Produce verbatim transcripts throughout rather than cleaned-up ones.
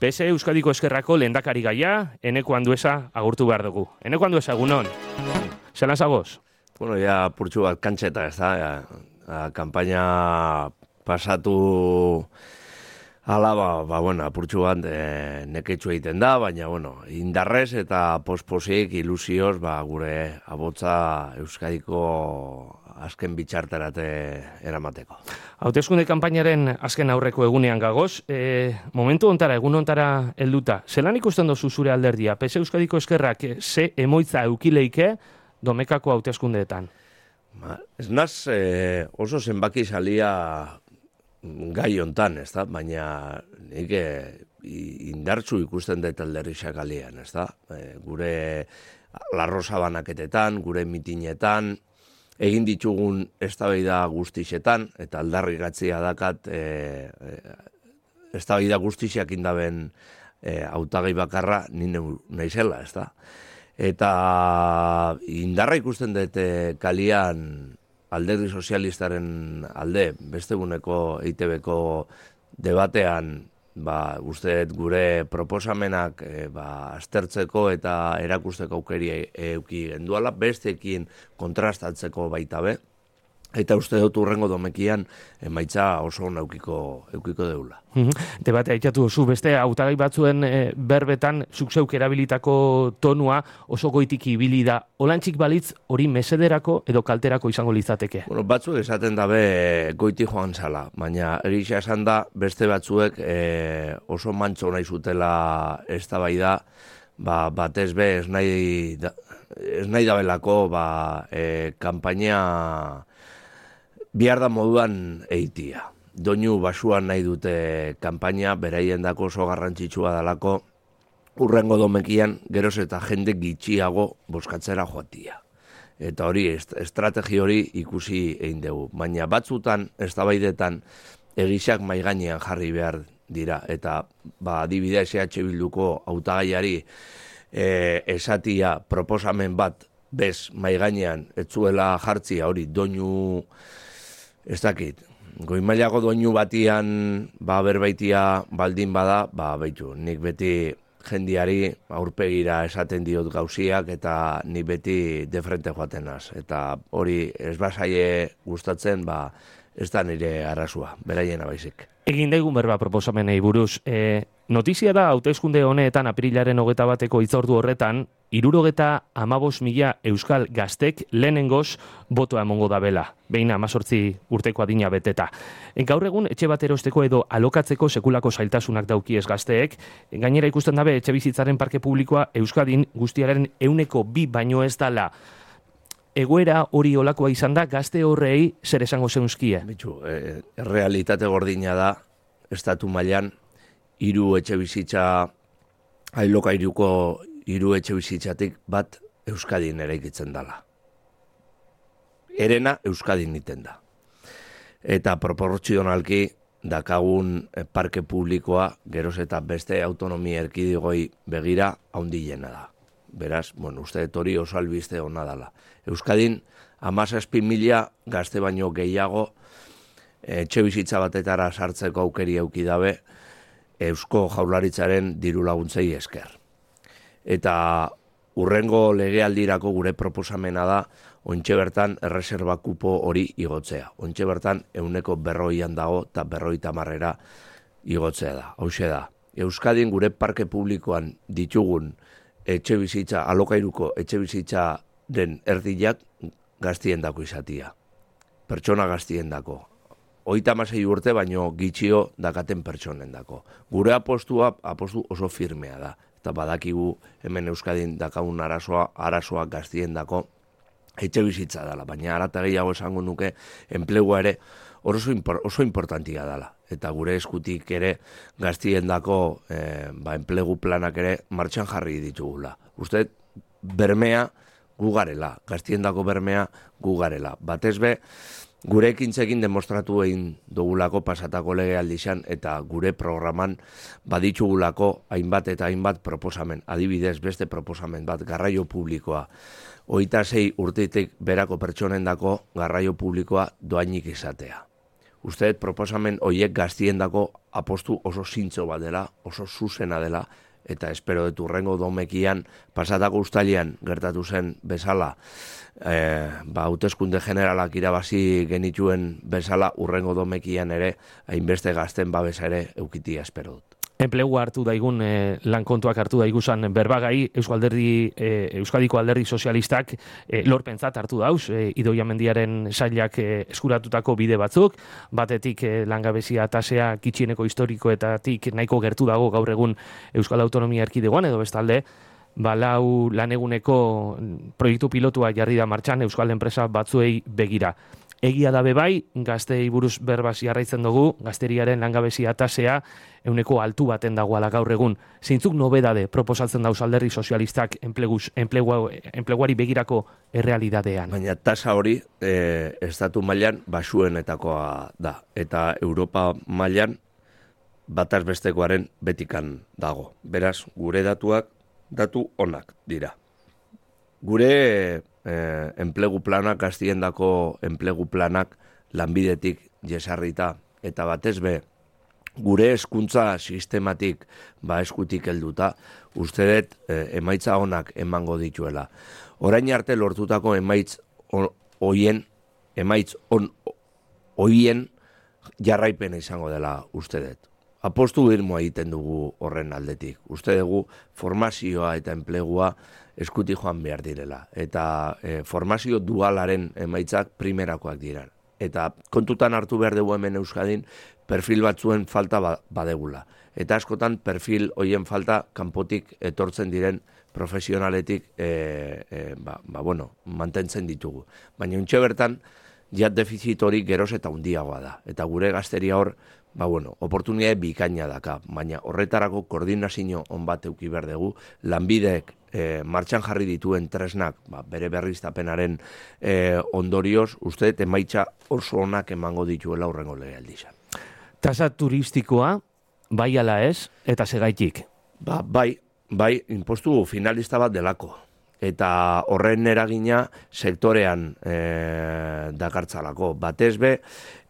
P S Euskadiko Eskerrako lehendakari gaia, Eneko Andueza agurtu behar dugu. Eneko Andueza, egunon. Zelan zagoz? Bueno, ya purtsu bat kantxeta, ez da? Ya, a, kampaina pasatu ala, ba, ba bueno, apurtxu bat e, neketxu egiten da, baina, bueno, indarrez eta posposik ilusioz, ba, gure abotza Euskadiko azken bitxarterate eramateko. Hauteskunde kanpainaren azken aurreko egunean gagoz, e, momentu ontara, egun ontara helduta, zelan ikusten dozu zure alderdia? P S Euskadiko Eskerrak ze emoitza eukileike domekako hauteskundeetan? Ba, ez naz eh, oso zenbaki salia gai hontan, ez da? Baina nik eh, indartzu ikusten dut alderri xakalian, ez da? E, gure larrosa banaketetan, gure mitinetan, egin ditugun eztabaida guztixetan, eta aldarrikatzea dakat e, e, eztabaida guztixak indaben e, hautagai bakarra nine naizela, ez da? Eta indarra ikusten dut e, kalian alderdi sozialistaren alde, beste eguneko E I T Bko debatean, ba, uste gure proposamenak e, ba, aztertzeko eta erakusteko aukeri euki genduala, besteekin kontrastatzeko baita be, eta uste dut urrengo domekian emaitza oso eukiko, eukiko deula. Debate aitatu zu beste hautagai batzuen e, berbetan zuk zeuk erabilitako tonua oso goitik ibili da. Olantxik balitz hori mesederako edo kalterako izango litzateke? Bueno, batzuk esaten dabe goiti joan zala, baina erisa esan da beste batzuek e, oso mantxo nahi zutela eztabaida, ba, batez be ez nahi, da, ez nahi dabelako ba, e, kanpaina bihar da moduan eitia. Doinu basuan nahi dute kanpaina, beraien dako oso garrantzitsua dalako, urrengo domekian geroz eta jende gitxiago boskatzera joatia. Eta hori, estrategi hori ikusi egin dugu. Baina batzutan, eztabaidetan, egisak maigainean jarri behar dira. Eta ba, adibidez E H Bilduko hautagaiari e, esatia proposamen bat bez maigainean etzuela jartzia hori doinu ez dakit, goimailako doinu batian ba, berbaitia baldin bada, ba, baitu, nik beti jendiari aurpegira esaten diot gauziak eta nik beti de frente joaten naz. Eta hori ez bazaie gustatzen, ba, ez da nire arrazua, beraiena baizik. Egin daigun berba proposamenei buruz. E, notizia da, hauteskunde honetan apirilaren hogeta bateko hitzordu horretan, hirurogeta hamabost mila euskal gaztek lehenengoz botoa emongo da bela, behin amazortzi urteko adina beteta. E, gaur egun etxe bat erosteko edo alokatzeko sekulako zailtasunak daukiez gazteek, gainera ikusten dabe etxe bizitzaren parke publikoa Euskadin guztiaren euneko bi baino ez dala. Egoera hori olakoa izan da, gazte horrei zer esango zeunzkie? Bitu, e, realitate gordina da, estatu mailan hiru etxe bizitza, ailoka hiruko hiru etxe bizitzatik bat Euskadin eraikitzen dala. Erena Euskadin iten da. Eta proportzionalki dakagun parke publikoa geroz eta beste autonomia erkidigoi begira haundilena da. Beraz, bueno, uste hori oso albiste hona dala. Euskadin, hamazazpi mila gazte baino gehiago etxe bizitza batetara sartzeko aukeri euki dabe Eusko Jaurlaritzaren diru laguntzei esker. Eta urrengo legealdirako gure proposamena da ontxe bertan erreserba kupo hori igotzea. Ontxe bertan euneko berroian dago eta berroi tamarrera igotzea da. Hauxe da. Euskadin gure parke publikoan ditugun etxe bizitza, alokairuko etxe bizitza den erdiak gaztien dako izatia. Pertsona gaztien dako. Hogeita hamasei urte baino gitxio dakaten pertsonen dako. Gure apostua apostu oso firmea da. Eta badakigu hemen Euskadin dakagun arazoa, arazoa gaztien dako etxe bizitza dela. Baina arata gehiago esango nuke enplegua ere oso, impor, oso importantia dela. Eta gure eskutik ere gaztien dako eh, ba, enplegu planak ere martxan jarri ditugula. Uste, bermea gu garela, gaztien dako bermea gu garela. Batez be, gure ekintzekin demostratu egin dugulako pasatako legealdizan eta gure programan baditugulako hainbat eta hainbat proposamen. Adibidez, beste proposamen bat, garraio publikoa. Hogeita sei urtetik berako pertsonendako garraio publikoa doainik izatea. uste proposamen hoiek gaztiendako apostu oso zintzo bat dela, oso zuzena dela, eta espero dut urrengo domekian, pasatako ustalian gertatu zen bezala, e, ba, hauteskunde generalak irabazi genituen bezala, urrengo domekian ere, hainbeste gazten babesa ere eukitia espero dut. Enplegua hartu daigun, eh, lan kontuak hartu daiguzan berbagai, Euskal Alderdi, eh, Euskadiko Alderdi Sozialistak eh, lorpentzat hartu dauz, eh, Idoia Mendiaren sailak eh, eskuratutako bide batzuk, batetik eh, langabezia tasea kitxieneko historikoetatik nahiko gertu dago gaur egun Euskal Autonomia Erkidegoan, edo bestalde, balau laneguneko proiektu pilotua jarri da martxan Euskal enpresa batzuei begira. Egia da bebai, gaztei buruz berbaz jarraitzen dugu, gazteriaren langabezia tasea euneko altu baten dagoala gaur egun. Zeintzuk nobedade proposatzen dauz Alderdi Sozialistak enpleguz, enplegua, enpleguari begirako errealidadean? Baina tasa hori e, estatu mailan basuenetakoa da. Eta Europa mailan bataz bestekoaren betikan dago. Beraz, gure datuak datu onak dira. Gure eh, enplegu planak, gaztiendako enplegu planak lanbidetik jesarrita, eta batez be, gure hezkuntza sistematik ba eskutik helduta, uste dut eh, emaitza onak emango dituela. Orain arte lortutako emaitz hoien, emaitz on hoien jarraipena izango dela uste dut. Apostu irmoa egiten dugu horren aldetik. Uste dugu formazioa eta enplegua eskuti joan behar direla. Eta e, formazio dualaren emaitzak primerakoak dira. Eta kontutan hartu behar dugu hemen Euskadin perfil batzuen falta ba, badegula. Eta askotan perfil hoien falta kanpotik etortzen diren profesionaletik e, e, ba, ba, bueno, mantentzen ditugu. Baina untxe bertan, jat defizit hori geroz eta handiagoa da. Eta gure gazteria hor, ba bueno, oportunitate bikaina daka, baina horretarako koordinazio on bat euki behar dugu, lanbideek e, martxan jarri dituen tresnak, ba, bere berriztapenaren e, ondorioz, uste emaitza oso onak emango dituela urrengo legealdia. Tasa turistikoa, bai ala ez, eta segaitik? Ba, bai, bai, impostu finalista bat delako. Eta horren eragina sektorean e, dakartzalako. Batez be,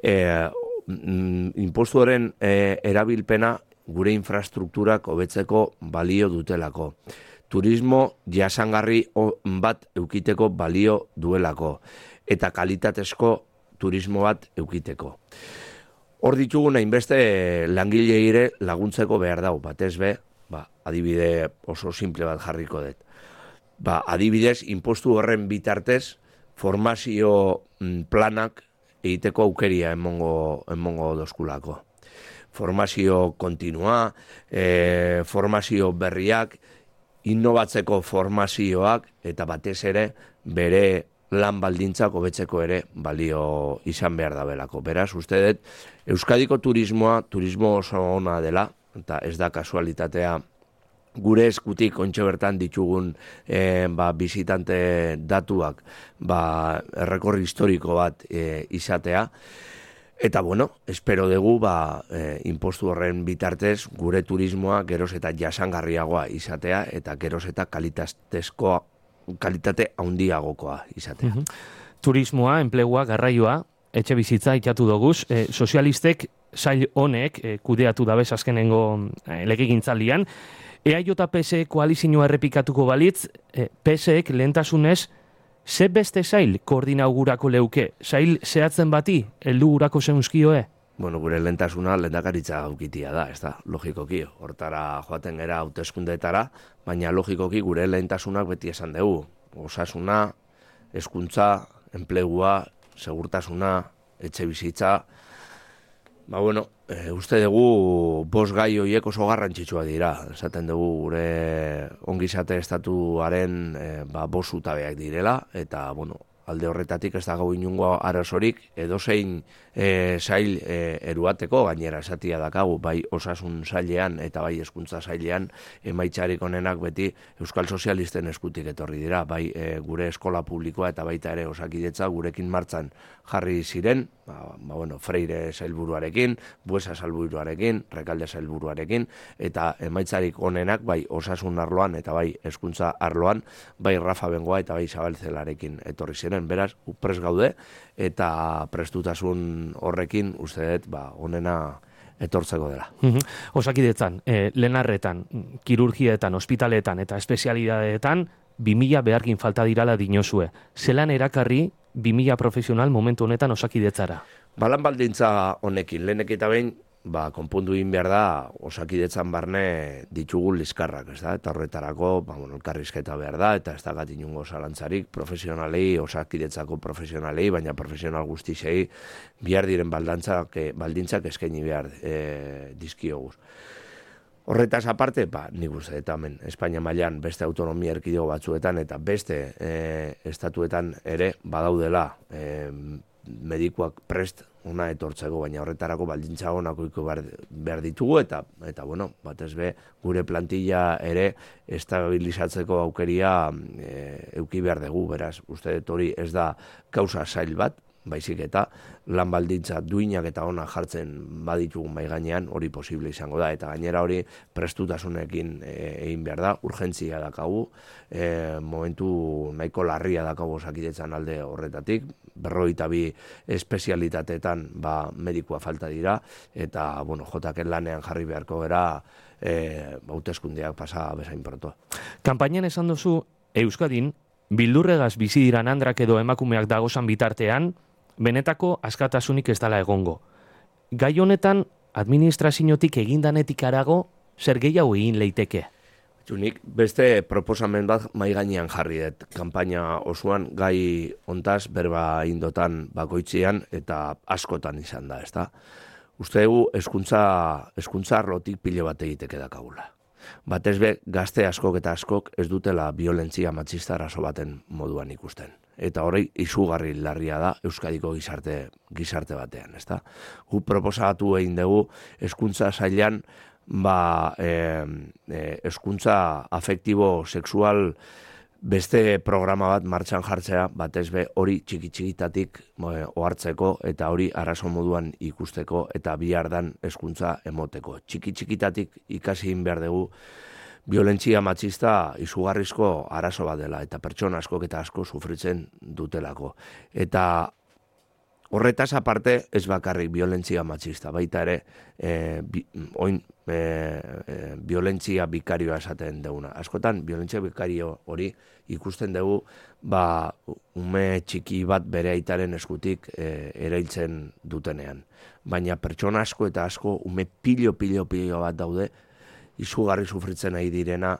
e, impostuaren e, erabilpena gure infrastrukturak hobetzeko balio dutelako. Turismo jasangarri bat eukiteko balio duelako. Eta kalitatezko turismo bat eukiteko. Hor ditugu hainbeste langileire laguntzeko behar dago. Batez be, ba, adibide oso simple bat jarriko dut. Ba, adibidez, impostu horren bitartez, formazio planak egiteko aukeria emongo, emongo doskulako. Formazio kontinua, e, formazio berriak, innovatzeko formazioak, eta batez ere, bere lan baldintzak hobetzeko ere balio izan behar dabelako. Beraz, uste dut, Euskadiko turismoa, turismo oso ona dela, eta ez da kasualitatea, gure eskutik ontxe bertan ditugun e, ba, bizitante datuak ba, errekorri historiko bat e, izatea. Eta bueno, espero dugu ba, e, impostu horren bitartez gure turismoa geroz eta jasangarriagoa izatea eta geroz eta kalitatezkoa, kalitate handiagokoa izatea. Mm-hmm. Turismoa, enplegua, garraioa, etxe bizitza itxatu doguz, e, sozialistek sail honek e, kudeatu dabez azkenengo e, legegintzaldian. E A J P S E koalizioa errepikatuko balitz, e, P S Ek lehentasunez, ze beste sail koordinaugurako leuke? Sail zehatzen bati, heldu gurako zeunzkioe? Bueno, gure lehentasuna lehendakaritza gaukitia da, ez da, logikoki. Hortara joaten gera hauteskundeetara, baina logikoki gure lehentasunak beti esan dugu. Osasuna, hezkuntza, enplegua, segurtasuna, etxe bizitza. Ba, bueno, e, uste dugu bost gai horiek oso garrantzitsua dira. Esaten dugu gure ongizate estatuaren e, ba, bost zutabeak direla, eta, bueno, alde horretatik ez dago inungo arazorik, edozein e, sail e, eruateko, gainera esatia dakagu, bai osasun sailean eta bai hezkuntza sailean, emaitzarik onenak beti Euskal Sozialisten eskutik etorri dira, bai e, gure eskola publikoa eta baita ere osakidetza gurekin martzan jarri ziren, ba, ba bueno, Freire sailburuarekin, Buesa sailburuarekin, Rekalde sailburuarekin, eta emaitzarik onenak bai osasun arloan eta bai hezkuntza arloan, bai Rafa Bengoa eta bai Zabaltzelarekin etorri ziren. orduan beraz, prest gaude, eta prestutasun horrekin, uste dut, ba, onena etortzeko dela. Osakidetzan, eh, lenarretan, kirurgietan, ospitaletan eta espezialidadeetan, bi mila beharkin falta dirala dinozue. Zelan erakarri bi mila profesional momentu honetan osakidetzara? Balan baldintza honekin, lehenek eta behin, ba, konpundu egin behar da, osakidetzan barne ditugu liskarrak, ez da? Eta horretarako, ba, bueno, elkarrizketa behar da, eta ez da gat inungo zalantzarik, profesionalei, osakidetzako profesionalei, baina profesional guztisei, bihar diren baldantzak, baldintzak eskaini behar e, dizkioguz. Horretaz aparte, ba, nik uste, eta hemen, Espainia mailan beste autonomia erkidego batzuetan, eta beste e, estatuetan ere, badaudela, e, medikuak prest ona etortzeko, baina horretarako baldintza honako iko behar ditugu, eta, eta bueno, batez be, gure plantilla ere estabilizatzeko aukeria e, euki behar dugu, beraz, uste dut hori ez da kausa zail bat, baizik eta lan baldintza duinak eta ona jartzen baditugun bai gainean, hori posible izango da, eta gainera hori prestutasunekin egin behar da, urgentzia dakagu, e, momentu nahiko larria dakagu osakidetzan alde horretatik, berrogeita bi espezialitateetan ba, medikua falta dira, eta bueno, jotaken lanean jarri beharko gara e, hauteskundeak pasa bezain proto. Kanpainan esan duzu, Euskadin, bildurregaz bizi diran andrak edo emakumeak dagozan bitartean, benetako askatasunik ez dela egongo. Gai honetan, administraziotik egindanetik arago, zer gehiago egin leiteke? Nik beste proposamen bat mai gainean jarri dut, kanpaina osoan gai hontaz berba indotan bakoitzean eta askotan izan da, ezta? Uste dugu eskuntza, eskuntza arlotik pile bat egiteke dakagula. Batez be, gazte askok eta askok ez dutela violentzia matxista arazo baten moduan ikusten. Eta hori izugarri larria da Euskadiko gizarte, gizarte batean, ezta? Gu proposatu egin dugu eskuntza sailan ba, e, e, eskuntza afektibo sexual beste programa bat martxan jartzea, batez be hori txiki-txikitatik e, ohartzeko eta hori arazo moduan ikusteko eta bihardan eskuntza emoteko. Txiki-txikitatik ikasi egin behar dugu violentzia matxista izugarrizko arazo bat dela eta pertsona askok eta asko sufritzen dutelako. Eta horretaz aparte ez bakarrik violentzia matxista, baita ere e, bi, oin e, e, violentzia bikarioa esaten duguna. Askotan violentzia bikario hori ikusten dugu ba, ume txiki bat bere aitaren eskutik e, erailtzen dutenean. Baina pertsona asko eta asko ume pilo, pilo, pilo bat daude izugarri sufritzen nahi direna,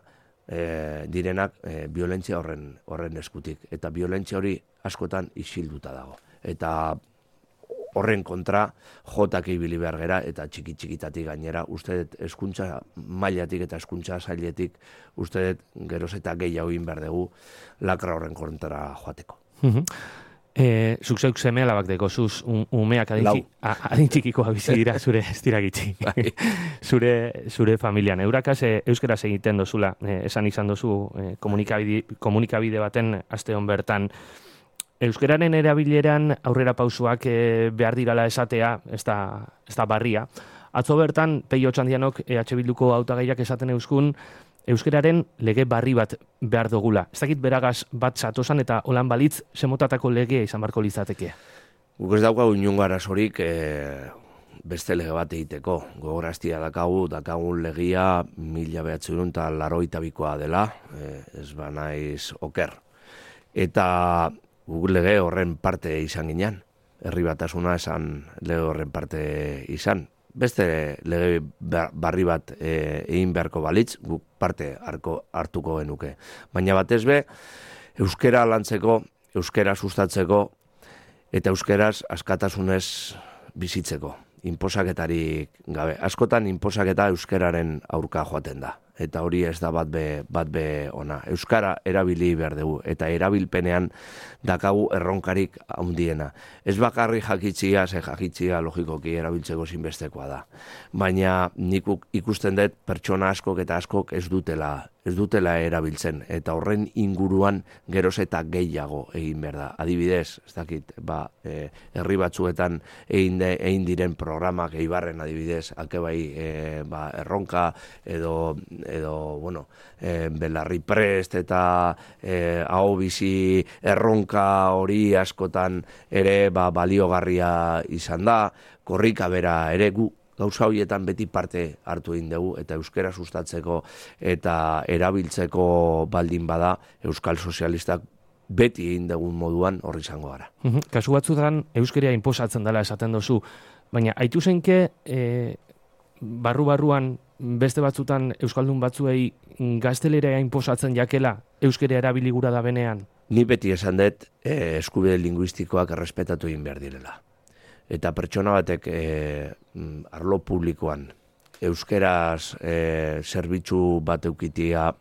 e, direnak e, violentzia horren, horren eskutik. Eta violentzia hori askotan isilduta dago. Eta horren kontra jotak ibili behar gera eta txiki-txikitatik gainera, uste dut eskuntza mailatik eta eskuntza zailetik, uste dut geroz eta gehiago egin behar dugu lakra horren kontra joateko. E, zuk zeuk seme alabak deko, zuz um, umeak adintxikikoa bizi dira zure estiragitzi. zure, zure familian. Eurakaz e, euskeraz egiten dozula, e, esan izan dozu e, komunikabide, komunikabide baten aste hon bertan. Euskararen erabileran aurrera pausuak e, behar dirala esatea, ez da, ez da barria. Atzo bertan, Peio Txandianok E H Bilduko hautagaiak esaten euskun, euskararen lege barri bat behar dugula. Ez dakit beragaz bat zatosan eta holan balitz semotatako legea izan barko litzateke. Guk ez daukagu inungo arazorik e, beste lege bat egiteko. Gogoraztia dakagu, dakagun legia mila behatzerun eta laroita bikoa dela, e, ez ba naiz oker. Eta guk lege horren parte izan ginean. Herri batasuna esan lege horren parte izan. Beste lege barri bat e, egin beharko balitz, guk parte harko, hartuko genuke. Baina batez be, euskera lantzeko, euskera sustatzeko, eta euskeraz askatasunez bizitzeko. Inposaketarik gabe. Askotan inposaketa euskeraren aurka joaten da. Eta hori ez da bat be, bat be ona. Euskara erabili behar dugu, eta erabilpenean dakagu erronkarik handiena. Ez bakarri jakitzia, ze jakitzia logikoki erabiltzeko zinbestekoa da. Baina nik ikusten dut pertsona askok eta askok ez dutela ez dutela erabiltzen, eta horren inguruan geroz eta gehiago egin behar da. Adibidez, ez dakit, ba, e, herri batzuetan egin, de, egin diren programak, Eibarren adibidez, alkebai e, ba, erronka edo, edo bueno, e, belarri prest eta e, hau bizi erronka hori askotan ere ba, baliogarria izan da, korrika bera ere gu gauza horietan beti parte hartu egin dugu eta euskera sustatzeko eta erabiltzeko baldin bada euskal sozialistak beti egin dugun moduan horri izango gara. Kasu batzutan euskeria inposatzen dela esaten duzu, baina haitu zenke e, barru-barruan beste batzutan euskaldun batzuei gaztelera inposatzen jakela euskeria erabiligura da benean? Ni beti esan dut e, eskubide linguistikoak errespetatu egin behar direla. Eta pertsona batek e, arlo publikoan euskeraz e, zerbitzu bat eukitia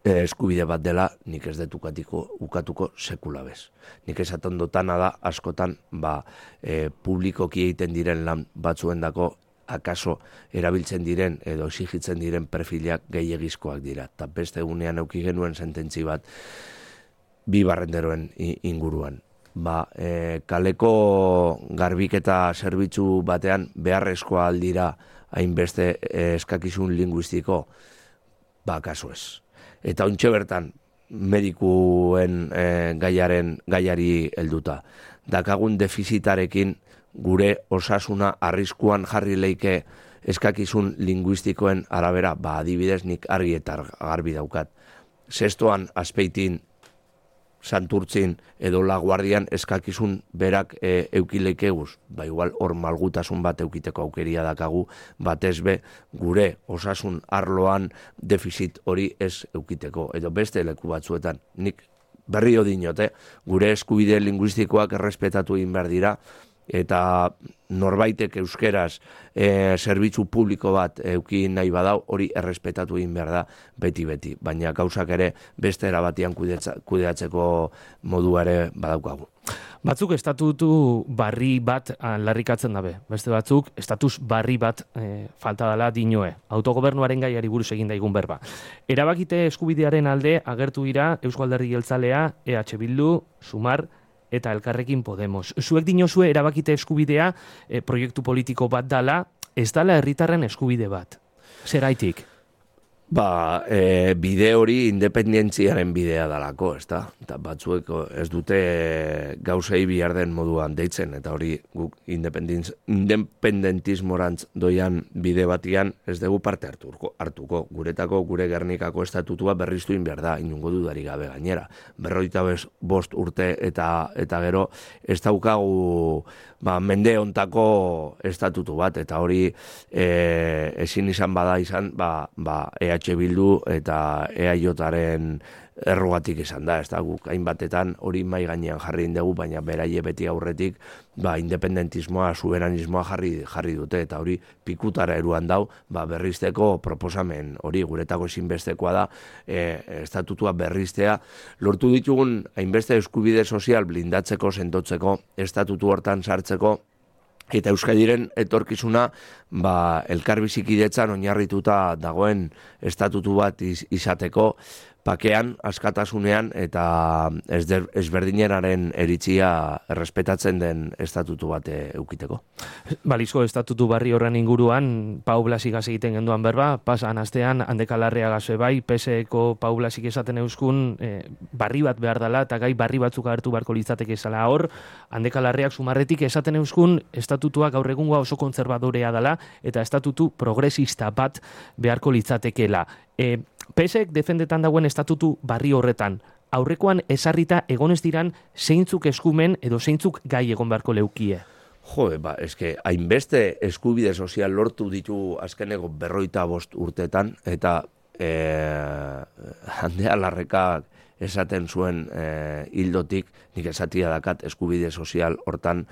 e, eskubide bat dela, nik ez dut ukatiko, ukatuko sekula bez. Nik esaten dutana da askotan ba, e, publikoki egiten diren lan batzuendako akaso erabiltzen diren edo exigitzen diren perfilak gehiegizkoak dira. Eta beste egunean euki genuen sententzi bat bi barrenderoen inguruan. Ba, e, kaleko garbiketa zerbitzu batean beharrezkoa aldira hainbeste e, eskakizun linguistiko, ba, kasu ez. Eta ontxe bertan, medikuen e, gaiaren, gaiari helduta. Dakagun defizitarekin gure osasuna arriskuan jarri leike eskakizun linguistikoen arabera, ba, adibidez nik argi eta garbi daukat. Zestoan Azpeitin, Santurtzin edo Laguardian eskakizun berak e, eukileikeguz, ba igual hor malgutasun bat eukiteko aukeria dakagu, batez be gure osasun arloan defizit hori ez eukiteko, edo beste leku batzuetan. Nik berrio dinote, gure eskubide linguistikoak errespetatu egin behar dira, eta norbaitek euskeraz e, zerbitzu publiko bat euki nahi badau, hori errespetatu egin behar da beti-beti, baina gauzak ere beste erabatian kudeatzeko modua ere badaukagu. Batzuk estatutu barri bat larrikatzen dabe, beste batzuk estatus barri bat e, falta dela dinoe, autogobernuaren gaiari buruz egin daigun berba. Erabakite eskubidearen alde agertu dira Eusko Alderdi Jeltzalea, E H Bildu, Sumar, eta Elkarrekin Podemos. Zuek dinozue erabakite eskubidea e, proiektu politiko bat dala, ez dala herritarren eskubide bat. Zeraitik? Ba, e, bide hori independentziaren bidea dalako, ez da? Eta batzuek ez dute gauzei bihar den moduan deitzen, eta hori guk independentismorantz doian bide batian ez dugu parte hartuko, hartuko. Guretako, gure Gernikako estatutua berriztu in behar da, inungo dudari gabe gainera. Berroita bost urte eta eta gero ez daukagu ba, mende ontako estatutu bat, eta hori e, ezin izan bada izan, ba, ba, E H Bildu eta E A Jaren errugatik izan da, ez da, guk hainbatetan hori mai gainean jarri dugu, baina beraie beti aurretik ba, independentismoa, soberanismoa jarri, jarri dute, eta hori pikutara eruan dau, ba, berrizteko proposamen hori guretako ezinbestekoa da, e, estatutua berriztea, lortu ditugun hainbeste eskubide sozial blindatzeko, sentotzeko, estatutu hortan sartzeko, eta Euskadiren etorkizuna ba, elkarbizikidetzan oinarrituta dagoen estatutu bat iz, izateko, pakean, askatasunean eta ezberdinenaren eritzia errespetatzen den estatutu bat eukiteko. Balizko estatutu barri horren inguruan, Pau Blasik egiten genduan berba, pasan astean, handekalarrea gaze bai, P S Eko Pau Blasik esaten euskun, eh, barri bat behar dela, eta gai barri batzuk agertu beharko litzateke zala hor, handekalarreak Sumarretik esaten euskun, estatutua gaur egungoa oso kontserbadorea dela, eta estatutu progresista bat beharko litzatekeela. E, P S Ek defendetan dagoen estatutu barri horretan, aurrekoan esarrita egonez diran zeintzuk eskumen edo zeintzuk gai egon beharko leukie? Jo, ba, eske, hainbeste eskubide sozial lortu ditu azkeneko berroita bost urtetan, eta e, handea larrekak esaten zuen e, hildotik, nik esatia dakat eskubide sozial hortan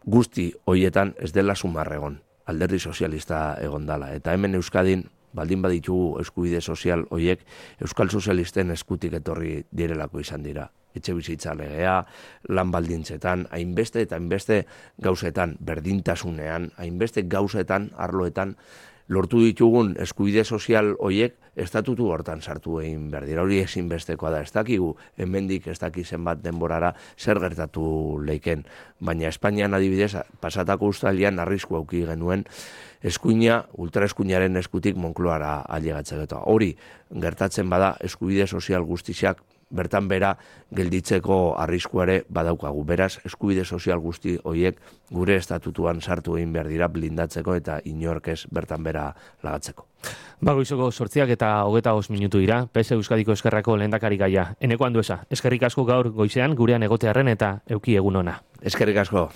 guzti hoietan ez dela Sumarregon, alderdi sozialista egon dala. Eta hemen Euskadin, baldin baditugu eskubide sozial hoiek, Euskal Sozialisten eskutik etorri direlako izan dira. Etxe bizitza legea, lan baldintzetan, hainbeste eta hainbeste gauzetan, berdintasunean, hainbeste gauzetan, arloetan, lortu ditugun eskubide sozial hoiek estatutu hortan sartu egin behar dira. Hori ezinbestekoa da, ez dakigu, hemendik ez daki zenbat denborara zer gertatu leiken. Baina Espainian adibidez, pasatako ustalian arrisku auki genuen eskuina, ultraeskuinaren eskutik Moncloara ailegatzeko. Hori gertatzen bada eskubide sozial guztiak bertan bera gelditzeko arriskuare badaukagu. Beraz, eskubide sozial guzti horiek gure estatutuan sartu egin behar dira blindatzeko eta inork ez bertan bera lagatzeko. Bagoizoko sortziak eta hogeta os minutu dira, P S Euskadiko Eskerrako lehendakari gaia. Eneko Andueza, eskerrik asko gaur goizean gurean egotearren eta euki egun ona. Eskerrik asko.